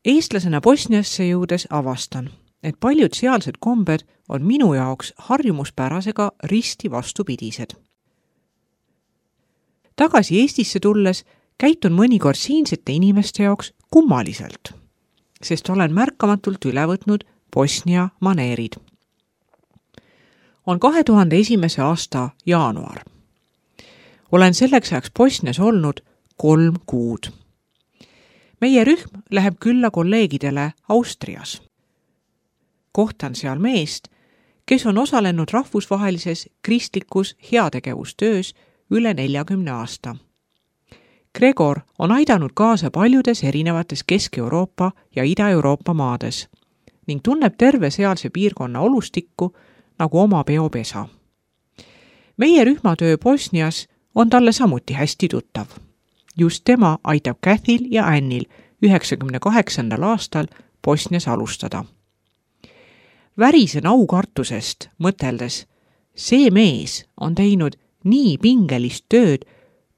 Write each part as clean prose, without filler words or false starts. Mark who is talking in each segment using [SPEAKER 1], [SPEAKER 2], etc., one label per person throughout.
[SPEAKER 1] Eestlasena Bosniasse jõudes avastan, et paljud sealsed kombed on minu jaoks harjumuspärasega risti vastupidised. Tagasi Eestisse tulles käitun mõnikord siinsete inimeste jaoks kummaliselt, sest olen märkamatult üle võtnud Bosnia maneerid. On 2001. aasta jaanuar. Olen selleks ajaks Bosnias olnud 3 kuud. Meie rühm läheb külla kolleegidele Austrias. Kohtan seal meest, kes on osalenud rahvusvahelises kristlikus heategevustöös üle 40 aasta. Gregor on aidanud kaasa paljudes erinevates Kesk-Euroopa ja Ida-Euroopa maades ning tunneb terve sealse piirkonna olustikku nagu oma peopesa. Meie rühmatöö Bosnias on talle samuti hästi tuttav. Just tema aitab Cathil ja Annil 98. aastal Bosnias alustada. Värisen aukartusest mõteldes, see mees on teinud nii pingelist tööd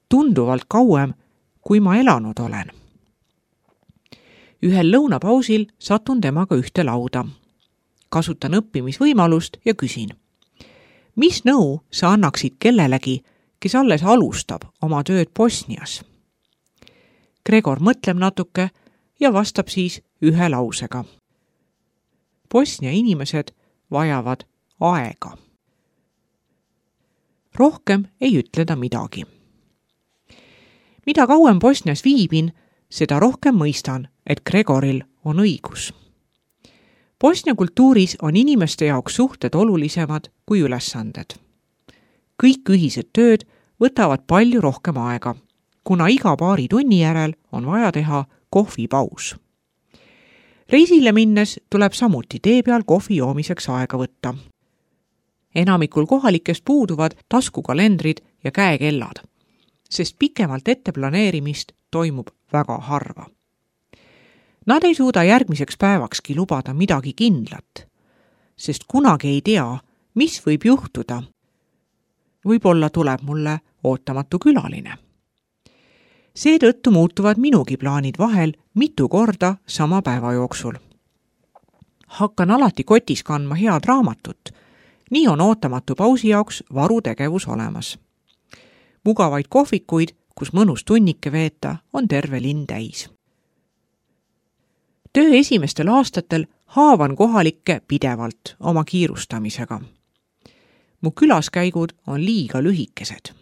[SPEAKER 1] tunduvalt kauem, kui ma elanud olen. Ühel lõunapausil satun temaga ühte lauda. Kasutan õppimisvõimalust ja küsin, mis nõu sa annaksid kellelegi, kes alles alustab oma tööd Bosnias? Gregor mõtleb natuke ja vastab siis ühe lausega. Bosnia inimesed vajavad aega. Rohkem ei ütle ta midagi. Mida kauem Bosnias viibin, seda rohkem mõistan, et Gregoril on õigus. Bosnia kultuuris on inimeste jaoks suhted olulisemad kui ülesanded. Kõik ühised tööd võtavad palju rohkem aega, kuna iga paari tunni järel on vaja teha kohvipaus. Reisile minnes tuleb samuti tee peal kohvi joomiseks aega võtta. Enamikul kohalikest puuduvad taskukalendrid ja käekellad, sest pikemalt etteplaneerimist toimub väga harva. Nad ei suuda järgmiseks päevakski lubada midagi kindlat, sest kunagi ei tea, mis võib juhtuda. Võib-olla tuleb mulle ootamatu külaline. Seetõttu muutuvad minugi plaanid vahel mitu korda sama päeva jooksul. Hakkan alati kotis kandma head raamatut, nii on ootamatu pausi jaoks varutegevus olemas. Mugavaid kohvikuid, kus mõnus tunnike veeta, on terve linn täis. Töö esimestel aastatel haavan kohalikke pidevalt oma kiirustamisega. Mu külaskäigud on liiga lühikesed.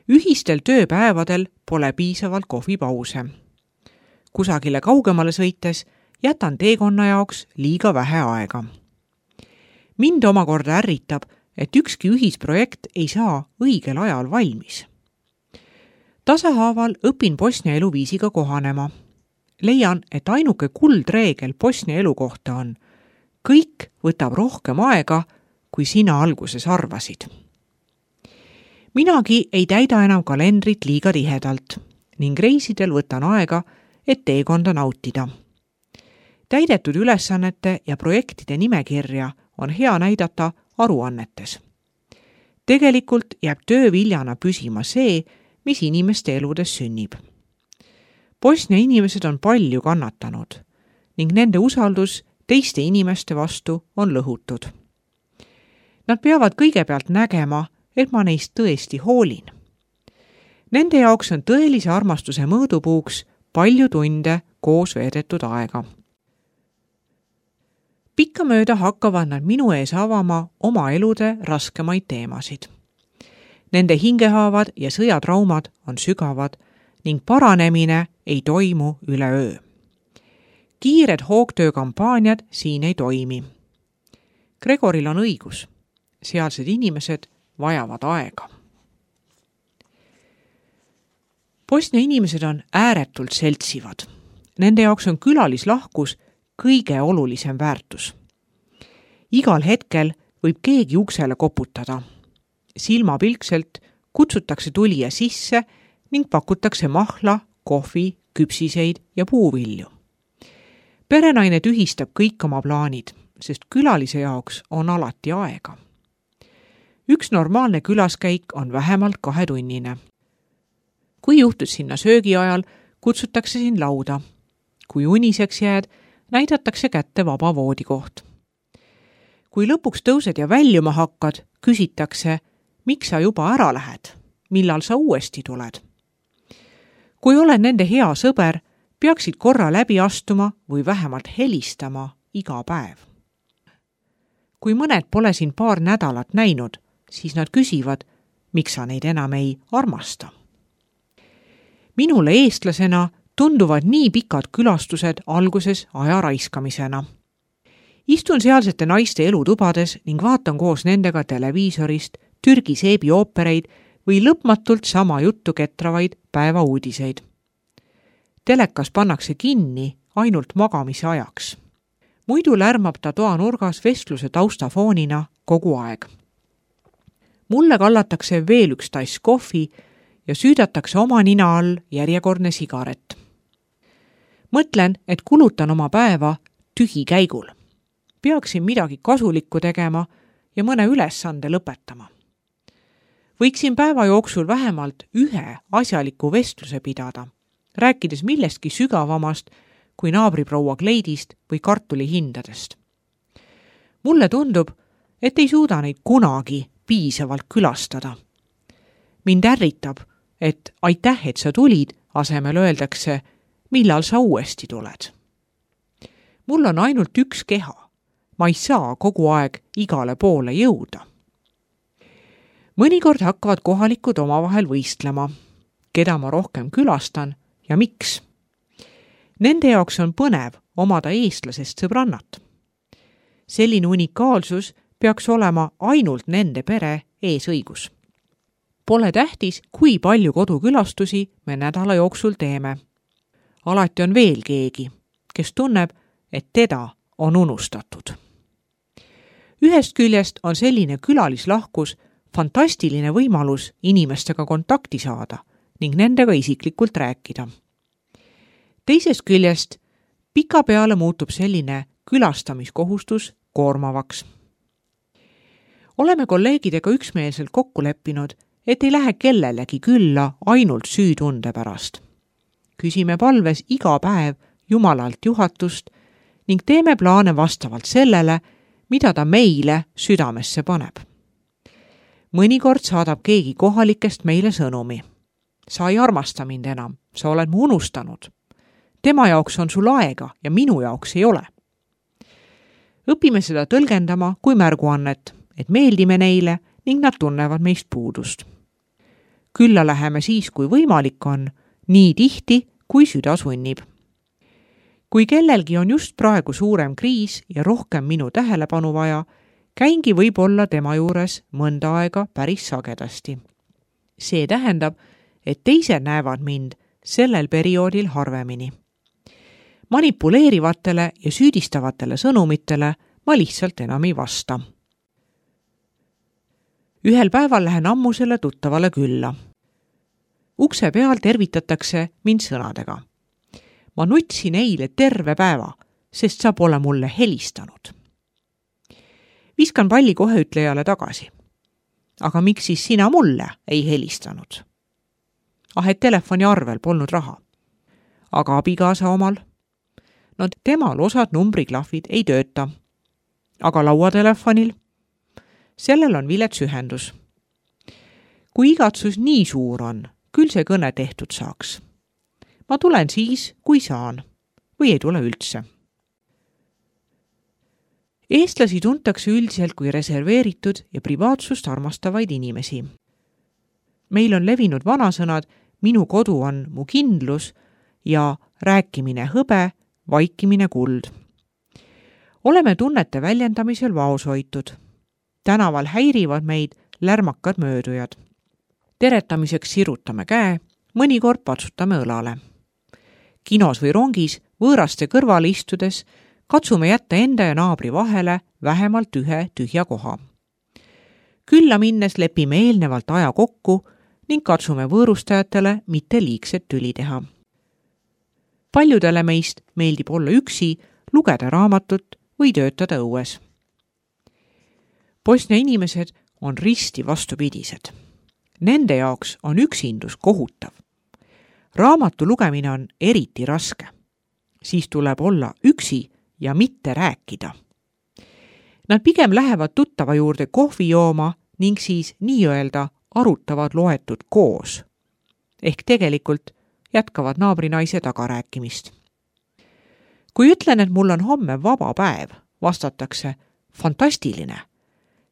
[SPEAKER 1] Ühistel tööpäevadel pole piisavalt kohvipause. Kusagile kaugemale sõites jätan teekonna jaoks liiga vähe aega. Mind omakorda ärritab, et ükski ühisprojekt ei saa õigel ajal valmis. Tasahaaval õpin Bosnia eluviisiga kohanema. Leian, et ainuke kuldreegel Bosnia elu kohta on, kõik võtab rohkem aega, kui sina alguses arvasid. Minagi ei täida enam kalendrit liiga tihedalt ning reisidel võtan aega, et teekonda nautida. Täidetud ülesannete ja projektide nimekirja on hea näidata aruannetes. Tegelikult jääb töö viljana püsima see, mis inimeste eludes sünnib. Bosnia inimesed on palju kannatanud ning nende usaldus teiste inimeste vastu on lõhutud. Nad peavad kõigepealt nägema, et ma neist tõesti hoolin. Nende jaoks on tõelise armastuse mõõdupuuks palju tunde koos veedetud aega. Pikkamööda hakkavad nad minu ees avama oma elude raskemaid teemasid. Nende hingehaavad ja sõjatraumad on sügavad ning paranemine ei toimu üleöö. Kiired hoogtöökampaaniad siin ei toimi. Gregoril on õigus. Sealsed inimesed vajavad aega. Bosnia inimesed on ääretult seltsivad. Nende jaoks on külalislahkus kõige olulisem väärtus. Igal hetkel võib keegi uksele koputada. Silmapilkselt kutsutakse tulija sisse ning pakutakse mahla, kohvi, küpsiseid ja puuvilju. Perenaine tühistab kõik oma plaanid, sest külalise jaoks on alati aega. Üks normaalne külaskäik on vähemalt 2-tunnine. Kui juhtus sinna söögi ajal, kutsutakse siin lauda. kui uniseks jääd, näidatakse kätte vaba voodikoht. Kui lõpuks tõused ja väljuma hakkad, küsitakse, miks sa juba ära lähed, millal sa uuesti tuled. Kui oled nende hea sõber, peaksid korra läbi astuma või vähemalt helistama iga päev. Kui mõned pole sind paar nädalat näinud, siis nad küsivad, miks sa neid enam ei armasta. Minule eestlasena tunduvad nii pikad külastused alguses aja raiskamisena. Istun sealsete naiste elutubades ning vaatan koos nendega televiisorist Türgi seebioopereid või lõpmatult sama juttu ketravaid päevauudiseid. Telekas pannakse kinni ainult magamise ajaks. Muidu lärmab ta toa nurgas vestluse taustafoonina kogu aeg. Mulle kallatakse veel üks tass kohvi ja süüdatakse oma nina all järjekordne sigaret. Mõtlen, et kulutan oma päeva tühikäigul. Peaksin midagi kasulikku tegema ja mõne ülesande lõpetama. Võiksin päeva jooksul vähemalt ühe asjaliku vestluse pidada, rääkides millestki sügavamast kui naabriproua kleidist või kartuli hindadest. Mulle tundub, et ei suuda neid kunagi piisavalt külastada. Mind ärritab, et aitäh, et sa tulid, asemel öeldakse, millal sa uuesti tuled. Mul on ainult üks keha. Ma ei saa kogu aeg igale poole jõuda. Mõnikord hakkavad kohalikud omavahel võistlema, keda ma rohkem külastan ja miks. Nende jaoks on põnev omada eestlasest sõbrannat. Selline unikaalsus peaks olema ainult nende pere eesõigus. Pole tähtis, kui palju kodukülastusi me nädala jooksul teeme. Alati on veel keegi, kes tunneb, et teda on unustatud. Ühest küljest on selline külalislahkus fantastiline võimalus inimestega kontakti saada ning nendega isiklikult rääkida. Teisest küljest pikapeale muutub selline külastamiskohustus koormavaks. Oleme kolleegidega üksmeelselt kokku leppinud, et ei lähe kellelegi külla ainult süütunde pärast. Küsime palves iga päev Jumalalt juhatust ning teeme plaane vastavalt sellele, mida ta meile südamesse paneb. Mõnikord saadab keegi kohalikest meile sõnumi. Sa ei armasta mind enam, sa oled mu unustanud. Tema jaoks on sul aega ja minu jaoks ei ole. Õpime seda tõlgendama kui märguannet, et meeldime neile ning nad tunnevad meist puudust. Külla läheme siis, kui võimalik on, nii tihti, kui süda sunnib. Kui kellelgi on just praegu suurem kriis ja rohkem minu tähelepanu vaja, käingi võib-olla tema juures mõnda aega päris sagedasti. See tähendab, et teised näevad mind sellel perioodil harvemini. Manipuleerivatele ja süüdistavatele sõnumitele ma lihtsalt enam ei vasta. Ühel päeval lähen ammusele tuttavale külla. Ukse peal tervitatakse mind sõnadega. Ma nutsin eile terve päeva, sest sa pole mulle helistanud. Viskan palli kohe ütlejale tagasi. Aga miks siis sina mulle ei helistanud? Et telefoni arvel polnud raha. Aga abikaasa omal? No temal osad numbriklahvid ei tööta. Aga lauatelefonil? Sellel on vilets ühendus. Kui igatsus nii suur on, küll see kõne tehtud saaks. Ma tulen siis, kui saan, või ei tule üldse. Eestlasi tuntakse üldiselt kui reserveeritud ja privaatsust armastavaid inimesi. Meil on levinud vanasõnad, minu kodu on mu kindlus ja rääkimine hõbe, vaikimine kuld. Oleme tunnete väljendamisel vaoshoitud. Tänaval häirivad meid lärmakad möödujad. Teretamiseks sirutame käe, mõnikord patsutame õlale. Kinos või rongis võõraste kõrvale istudes katsume jätta enda ja naabri vahele vähemalt ühe tühja koha. Külla minnes lepime eelnevalt aja kokku ning katsume võõrustajatele mitte liigset tüli teha. Paljudele meist meeldib olla üksi, lugeda raamatut või töötada õues. Bosnia inimesed on risti vastupidised. Nende jaoks on üksindus kohutav. Raamatu lugemine on eriti raske. siis tuleb olla üksi ja mitte rääkida. Nad pigem lähevad tuttava juurde kohvi jooma ning siis nii-öelda arutavad loetud koos. Ehk tegelikult jätkavad naabrinaise tagarääkimist. Kui ütlen, et mul on homme vaba päev, vastatakse fantastiline.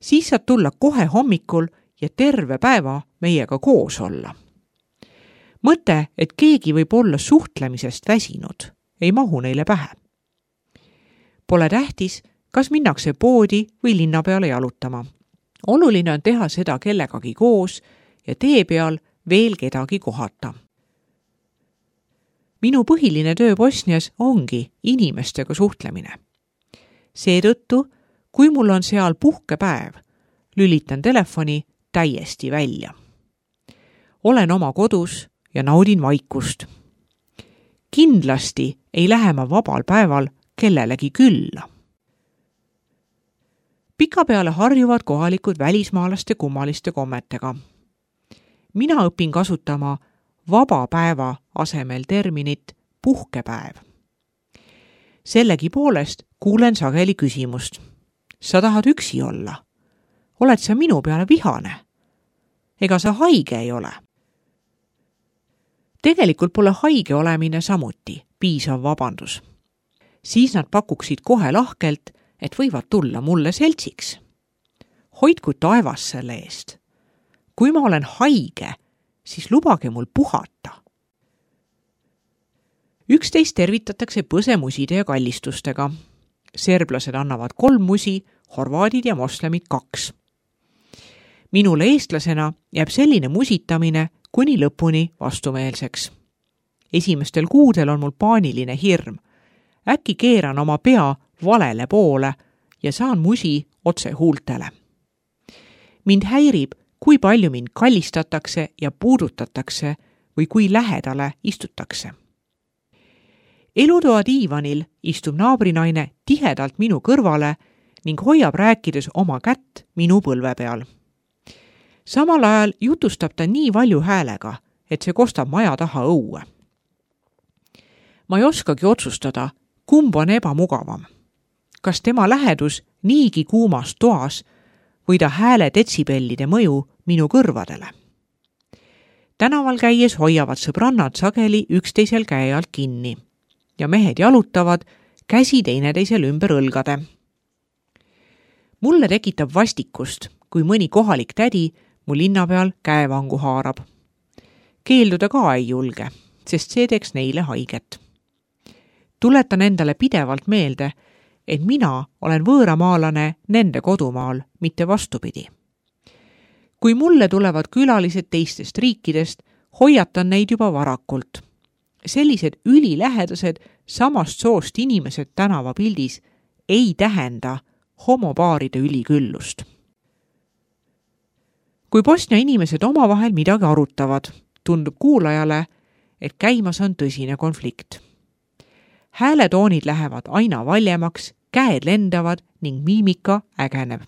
[SPEAKER 1] Siis saad tulla kohe hommikul ja terve päeva meiega koos olla. Mõte, et keegi võib olla suhtlemisest väsinud, ei mahu neile pähe. Pole tähtis, kas minnakse poodi või linna peale jalutama. Oluline on teha seda kellegagi koos ja tee peal veel kedagi kohata. Minu põhiline töö Bosnias ongi inimestega suhtlemine. Seetõttu, kui mul on seal puhkepäev, lülitan telefoni täiesti välja. Olen oma kodus ja naudin vaikust. Kindlasti ei lähe ma vabal päeval kellelegi külla. Pikapeale harjuvad kohalikud välismaalaste kummaliste kommetega. Mina õpin kasutama vaba päeva asemel terminit puhkepäev. Sellegipoolest kuulen sageli küsimust. Sa tahad üksi olla? Oled sa minu peale vihane? Ega sa haige ei ole? Tegelikult pole haige olemine samuti piisav vabandus. Siis nad pakuksid kohe lahkelt, et võivad tulla mulle seltsiks. Hoidku taevas selle eest. Kui ma olen haige, siis lubage mul puhata. Üksteist tervitatakse põsemuside ja kallistustega. Serblased annavad 3 musi, horvaadid ja moslemid 2. Minule eestlasena jääb selline musitamine kuni lõpuni vastumeelseks. Esimestel kuudel on mul paaniline hirm. Äkki keeran oma pea valele poole ja saan musi otse huultele. Mind häirib, kui palju mind kallistatakse ja puudutatakse või kui lähedale istutakse. Elutoa diivanil istub naabrinaine tihedalt minu kõrvale ning hoiab rääkides oma kätt minu põlve peal. Samal ajal jutustab ta nii valju häälega, et see kostab maja taha õue. Ma ei oskagi otsustada, kumb on ebamugavam. Kas tema lähedus niigi kuumas toas või ta hääle detsibellide mõju minu kõrvadele. Tänaval käies hoiavad sõbrannad sageli üksteisel käe alt kinni ja mehed jalutavad käsi teineteisel ümber õlgade. Mulle tekitab vastikust, kui mõni kohalik tädi mu linna peal käevangu haarab. Keelduda ka ei julge, sest see teeks neile haiget. Tuletan endale pidevalt meelde, et mina olen võõramaalane nende kodumaal, mitte vastupidi. Kui mulle tulevad külalised teistest riikidest, hoiatan neid juba varakult. Sellised ülilähedased samast soost inimesed tänavapildis ei tähenda homopaaride üliküllust. Kui Bosnia inimesed omavahel midagi arutavad, tundub kuulajale, et käimas on tõsine konflikt. Hääletoonid lähevad aina valjemaks, käed lendavad ning miimika ägeneb.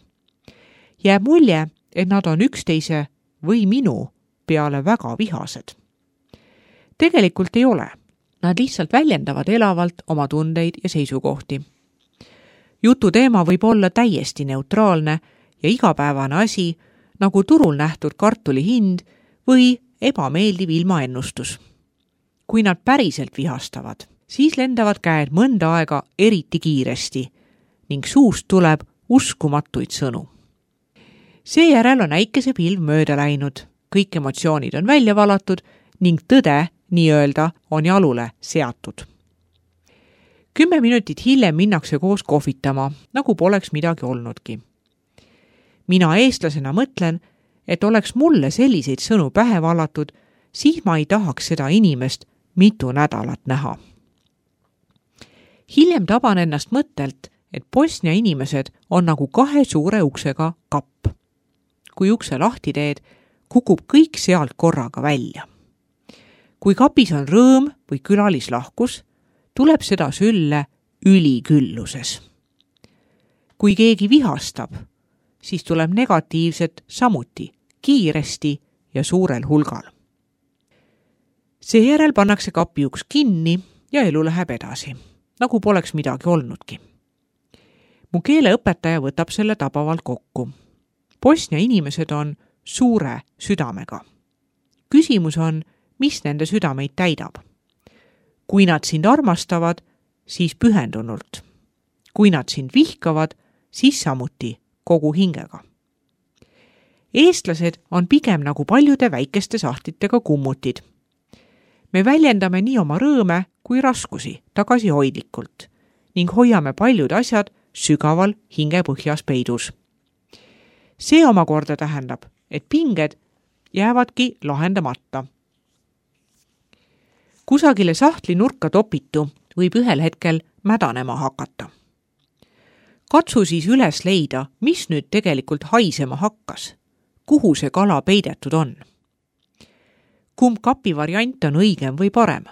[SPEAKER 1] Jääb mulje, et nad on üksteise või minu peale väga vihased. Tegelikult ei ole. Nad lihtsalt väljendavad elavalt oma tundeid ja seisukohti. Jutu teema võib olla täiesti neutraalne ja igapäevane asi, nagu turul nähtud kartuli hind või ebameeldiv ilmaennustus. Kui nad päriselt vihastavad, siis lendavad käed mõnda aega eriti kiiresti ning suust tuleb uskumatuid sõnu. Seejärel on äikesepilv mööda läinud, kõik emotsioonid on välja valatud ning tõde nii-öelda on jalule seatud. 10 minutit hiljem minnakse koos kohvitama, nagu poleks midagi olnudki. Mina eestlasena mõtlen, et oleks mulle selliseid sõnu pähe valatud, siis ma ei tahaks seda inimest mitu nädalat näha. Hiljem taban ennast mõttelt, et Bosnia inimesed on nagu 2 suure uksega kapp. Kui ukse lahti teed, kukub kõik sealt korraga välja. Kui kapis on rõõm või külalislahkus, tuleb seda sülle ülikülluses. Kui keegi vihastab, siis tuleb negatiivset samuti kiiresti ja suurel hulgal. Seejärel pannakse kapi uks kinni ja elu läheb edasi. nagu poleks midagi olnudki. Mu keeleõpetaja võtab selle tabavalt kokku. Bosnia inimesed on suure südamega. Küsimus on, mis nende südameid täidab. Kui nad sind armastavad, siis pühendunult. Kui nad sind vihkavad, siis samuti kogu hingega. Eestlased on pigem nagu paljude väikeste sahtlitega kummutid. Me väljendame nii oma rõõme kui raskusi tagasihoidlikult ning hoiame paljud asjad sügaval hingepõhjas peidus. See omakorda tähendab, et pinged jäävadki lahendamata. Kusagile sahtli nurka topitu võib ühel hetkel mädanema hakata. Katsu siis üles leida, mis nüüd tegelikult haisema hakkas, kuhu see kala peidetud on. Kumb kapi variant on õigem või parem?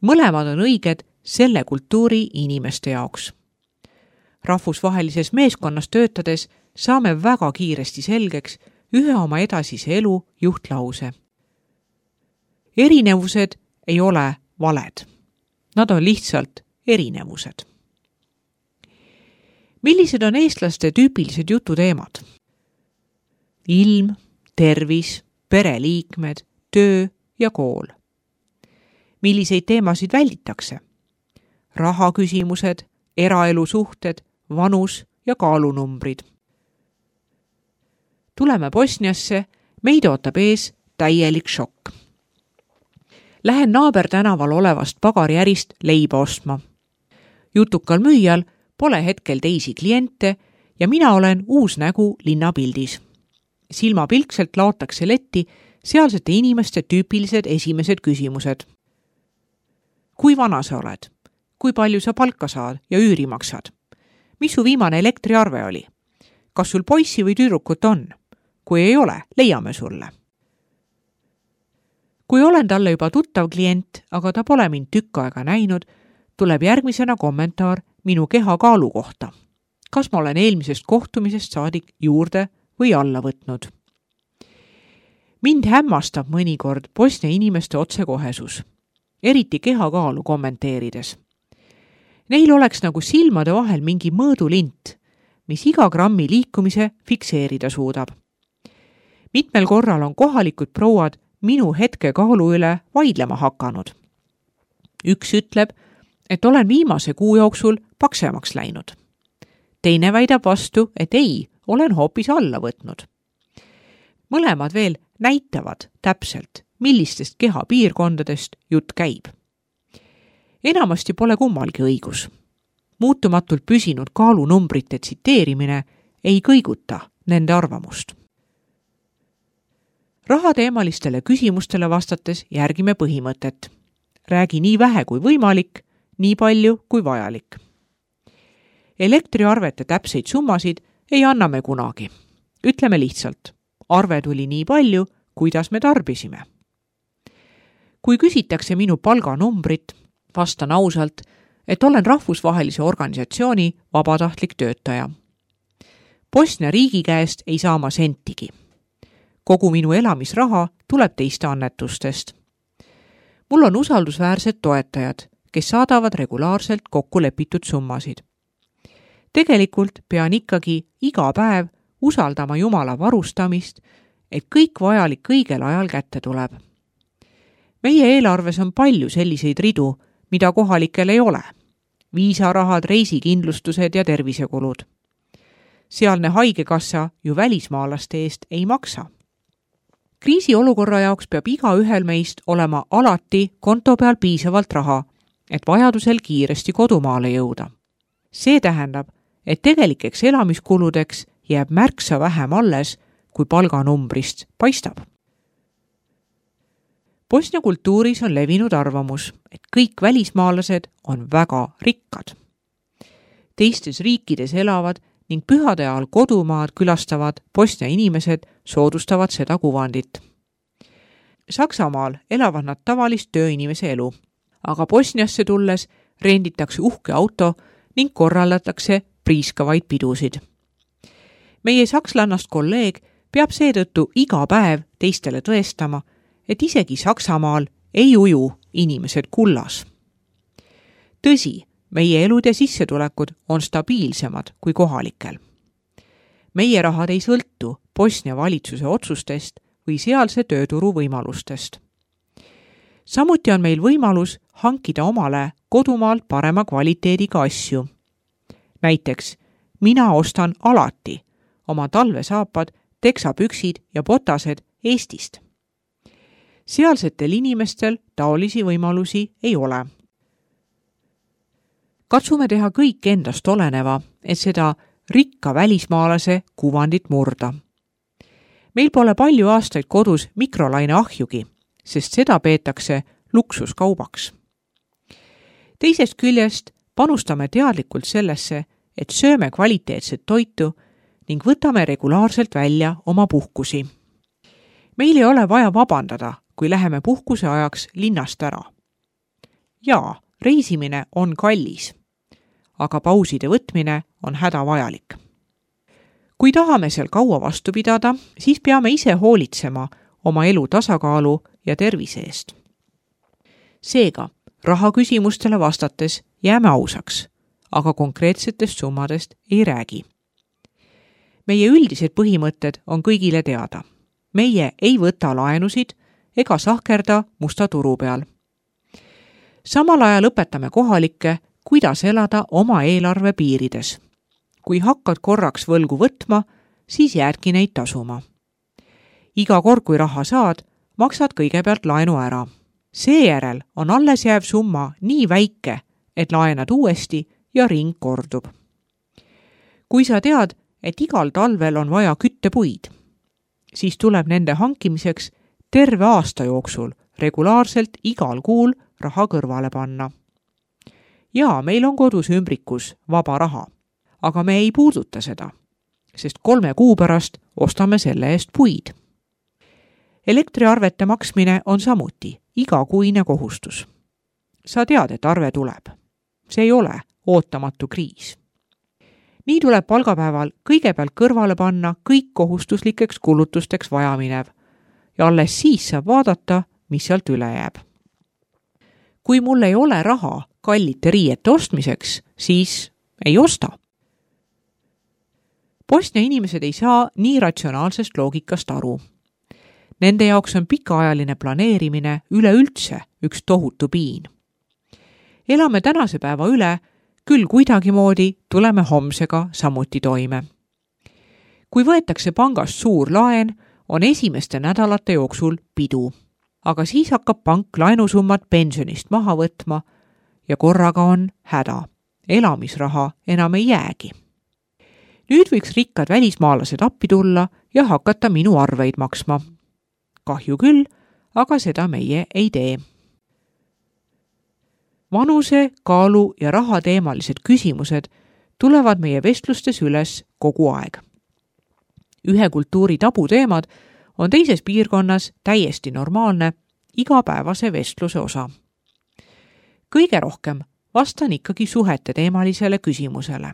[SPEAKER 1] Mõlemad on õiged selle kultuuri inimeste jaoks. Rahvusvahelises meeskonnas töötades saame väga kiiresti selgeks ühe oma edasise elu juhtlause. Erinevused ei ole valed. Nad on lihtsalt erinevused. Millised on eestlaste tüüpilised jututeemad? Ilm, tervis, pereliikmed, töö ja kool. Milliseid teemasid välditakse? Rahaküsimused, eraelusuhted, vanus ja kaalunumbrid. Tuleme Bosniasse, meid ootab ees täielik šokk. Lähen naabertänaval olevast pagariärist leiba ostma. Jutukal müüjal pole hetkel teisi kliente ja mina olen uus nägu linnapildis. Silmapilkselt laotakse letti sealsete inimeste tüüpilised esimesed küsimused. Kui vana sa oled? Kui palju sa palka saad ja üüri maksad? Mis su viimane elektriarve oli? Kas sul poissi või tüdrukut on? Kui ei ole, leiame sulle. Kui olen talle juba tuttav klient, aga ta pole mind tükk aega näinud, tuleb järgmisena kommentaar minu kehakaalu kohta. Kas ma olen eelmisest kohtumisest saadik juurde või alla võtnud? Mind hämmastab mõnikord Bosnia inimeste otsekohesus, eriti kehakaalu kommenteerides. Neil oleks nagu silmade vahel mingi mõõdulint, mis iga grammi liikumise fikseerida suudab. Mitmel korral on kohalikud prouad minu hetke kaalu üle vaidlema hakanud. Üks ütleb, et olen viimase kuu jooksul paksemaks läinud. Teine väidab vastu, et ei, olen hoopis alla võtnud. Mõlemad veel näitavad täpselt, millistest kehapiirkondadest jutt käib. Enamasti pole kummalgi õigus. Muutumatult püsinud kaalunumbrite tsiteerimine ei kõiguta nende arvamust. Rahateemalistele küsimustele vastates järgime põhimõtet. Räägi nii vähe kui võimalik, nii palju kui vajalik. Elektriarvete täpseid summasid ei anna me kunagi. Ütleme lihtsalt, arve tuli nii palju, kuidas me tarbisime. Kui küsitakse minu palganumbrit, vastan ausalt, et olen rahvusvahelise organisatsiooni vabatahtlik töötaja. Bosnia riigi käest ei saa ma sentigi. Kogu minu elamisraha tuleb teiste annetustest. Mul on usaldusväärsed toetajad, kes saadavad regulaarselt kokku lepitud summasid. Tegelikult pean ikkagi iga päev usaldama Jumala varustamist, et kõik vajalik õigel ajal kätte tuleb. Meie eelarves on palju selliseid ridu, mida kohalikel ei ole. Viisarahad, reisikindlustused ja tervisekulud. Sealne haigekassa ju välismaalaste eest ei maksa. Kriisiolukorra jaoks peab iga ühel meist olema alati konto peal piisavalt raha, et vajadusel kiiresti kodumaale jõuda. See tähendab, et tegelikeks elamiskuludeks jääb märksa vähem alles, kui palganumbrist paistab. Bosnia kultuuris on levinud arvamus, et kõik välismaalased on väga rikkad. Teistes riikides elavad ning pühade ajal kodumaad külastavad Bosnia inimesed soodustavad seda kuvandit. Saksamaal elavad nad tavalist tööinimese elu, aga Bosniasse tulles renditakse uhke auto ning korraldatakse priiskavaid pidusid. Meie sakslannast kolleeg peab seetõttu iga päev teistele tõestama, et isegi Saksamaal ei uju inimesed kullas. Tõsi, meie elud ja sissetulekud on stabiilsemad kui kohalikel. Meie rahad ei sõltu Bosnia valitsuse otsustest või sealse tööturu võimalustest. Samuti on meil võimalus hankida omale kodumaalt parema kvaliteediga asju. Näiteks, mina ostan alati oma talvesaapad, teksapüksid ja botased Eestist. Sealsetel inimestel taolisi võimalusi ei ole. Katsume teha kõik endast oleneva, et seda rikka välismaalase kuvandit murda. Meil pole palju aastaid kodus mikrolaine ahjugi, sest seda peetakse luksuskaubaks. Teisest küljest panustame teadlikult sellesse, et sööme kvaliteetset toitu ning võtame regulaarselt välja oma puhkusi. Meil ei ole vaja vabandada, kui läheme puhkuse ajaks linnast ära. Jaa, reisimine on kallis, aga pauside võtmine on hädavajalik. Kui tahame seal kaua vastu pidada, siis peame ise hoolitsema oma elu tasakaalu ja tervise eest. Seega, rahaküsimustele vastates jääme ausaks, aga konkreetsetest summadest ei räägi. Meie üldised põhimõtted on kõigile teada. Meie ei võta laenusid ega sahkerda musta turu peal. Samal ajal õpetame kohalikke, kuidas elada oma eelarve piirides. Kui hakkad korraks võlgu võtma, siis jäädki neid tasuma. Iga kord, kui raha saad, maksad kõigepealt laenu ära. Seejärel on alles jääv summa nii väike, et laenad uuesti ja ring kordub. Kui sa tead, et igal talvel on vaja küttepuid, siis tuleb nende hankimiseks terve aasta jooksul regulaarselt igal kuul raha kõrvale panna. Jaa, meil on kodus ümbrikus vaba raha, aga me ei puuduta seda, sest 3 kuu pärast ostame selle eest puid. Elektriarvete maksmine on samuti igakuine kohustus. Sa tead, et arve tuleb. See ei ole ootamatu kriis. Nii tuleb palgapäeval kõigepealt kõrvale panna kõik kohustuslikeks kulutusteks vajaminev ja alles siis saab vaadata, mis sealt üle jääb. Kui mul ei ole raha kallite riiete ostmiseks, siis ei osta. Bosnia inimesed ei saa nii ratsionaalsest loogikast aru. Nende jaoks on pikaajaline planeerimine üleüldse üks tohutu piin. Elame tänase päeva üle, küll kuidagimoodi tuleme homsega samuti toime. Kui võetakse pangast suur laen, on esimeste nädalate jooksul pidu, aga siis hakkab pank laenusummat pensionist maha võtma ja korraga on häda. Elamisraha enam ei jäägi. Nüüd võiks rikkad välismaalased appi tulla ja hakata minu arveid maksma. Kahju küll, aga seda meie ei tee. Vanuse, kaalu ja rahateemalised küsimused tulevad meie vestlustes üles kogu aeg. Ühe kultuuri tabuteemad on teises piirkonnas täiesti normaalne igapäevase vestluse osa. Kõige rohkem vastan ikkagi suhete teemalisele küsimusele.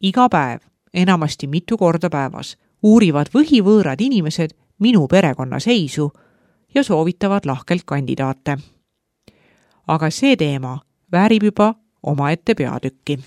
[SPEAKER 1] Iga päev, enamasti mitu korda päevas, uurivad võhivõõrad inimesed minu perekonna seisu ja soovitavad lahkelt kandidaate. Aga see teema väärib juba omaette peatükki.